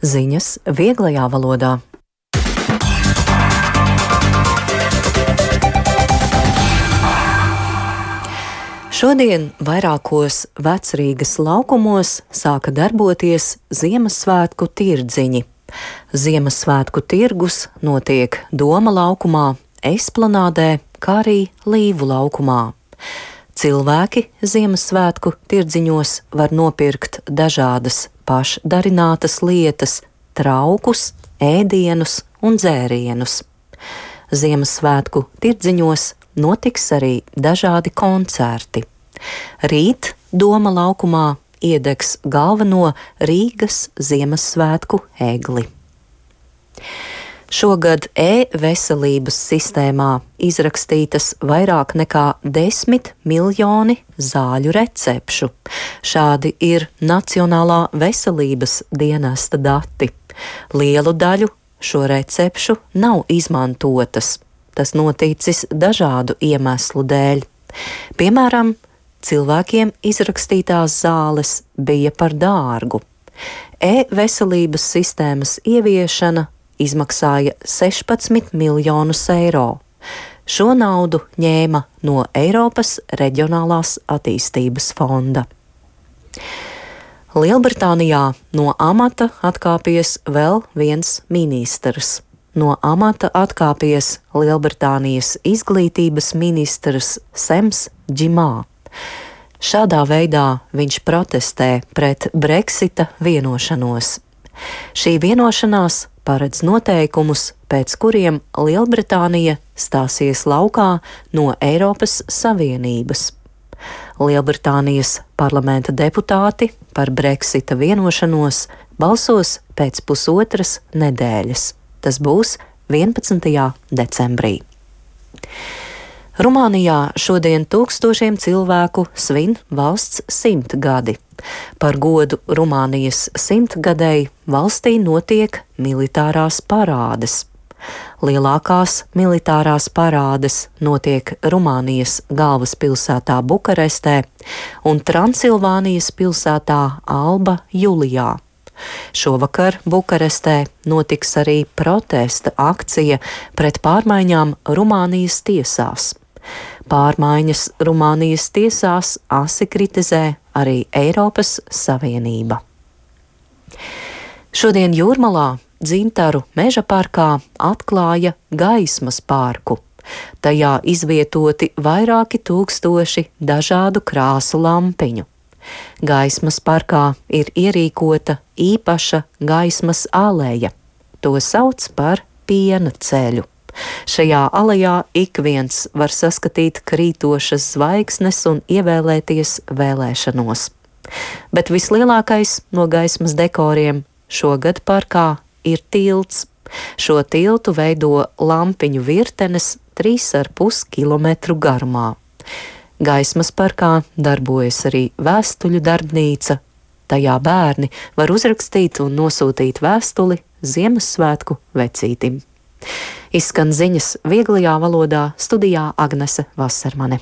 Ziņas vieglajā valodā. Šodien vairākos Vecrīgas laukumos sāka darboties Ziemassvētku tirdziņi. Ziemassvētku tirgus notiek Doma laukumā, Esplanādē, kā arī Līvu laukumā. Cilvēki Ziemassvētku tirdziņos var nopirkt dažādas pašdarinātas lietas, traukus, ēdienus un dzērienus. Ziemassvētku tirdziņos notiks arī dažādi koncerti. Rīt Doma laukumā iedegs galveno Rīgas Ziemassvētku egli. Šogad e-veselības sistēmā izrakstītas vairāk nekā 10 miljoni zāļu recepšu. Šādi ir Nacionālā veselības dienesta dati. Lielu daļu šo recepšu nav izmantotas. Tas noticis dažādu iemeslu dēļ. Piemēram, cilvēkiem izrakstītās zāles bija par dārgu. E-veselības sistēmas ieviešana izmaksāja 16 miljonus eiro. Šo naudu ņēma no Eiropas Reģionālās attīstības fonda. Lielbritānijā no amata atkāpies vēl viens ministrs. No amata atkāpies Lielbritānijas izglītības ministrs Sems Džimā. Šādā veidā viņš protestē pret Brexita vienošanos. Šī vienošanās paredz noteikumus, pēc kuriem Lielbritānija stāsies laukā no Eiropas Savienības. Lielbritānijas parlamenta deputāti par Brexita vienošanos balsos pēc pusotras nedēļas. Tas būs 11. decembrī. Rumānijā šodien tūkstošiem cilvēku svin valsts 100 gadi. Par godu Rumānijas 100 gadei valstī notiek militārās parādes. Lielākās militārās parādes notiek Rumānijas galvaspilsētā Bukarestē un Transilvānijas pilsētā Alba Julijā. Šovakar Bukarestē notiks arī protesta akcija pret pārmaiņām Rumānijas tiesās. Pārmaiņas Rumānijas tiesās asi kritizē arī Eiropas Savienība. Šodien Jūrmalā Dzintaru meža parkā atklāja gaismas parku. Tajā izvietoti vairāki tūkstoši dažādu krāsu lampiņu. Gaismas parkā ir ierīkota īpaša gaismas aleja. To sauc par piena ceļu. Šajā alejā ik viens var saskatīt krītošas zvaigznes un ievēlēties vēlēšanos. Bet vislielākais no gaismas dekoriem šogad parkā ir tilts. Šo tiltu veido lampiņu virtenes 3,5 kilometru garumā. Gaismas parkā darbojas arī vēstuļu darbnīca. Tajā bērni var uzrakstīt un nosūtīt vēstuli Ziemassvētku vecītim. Izskan ziņas vieglajā valodā, studijā Agnese Vasermane.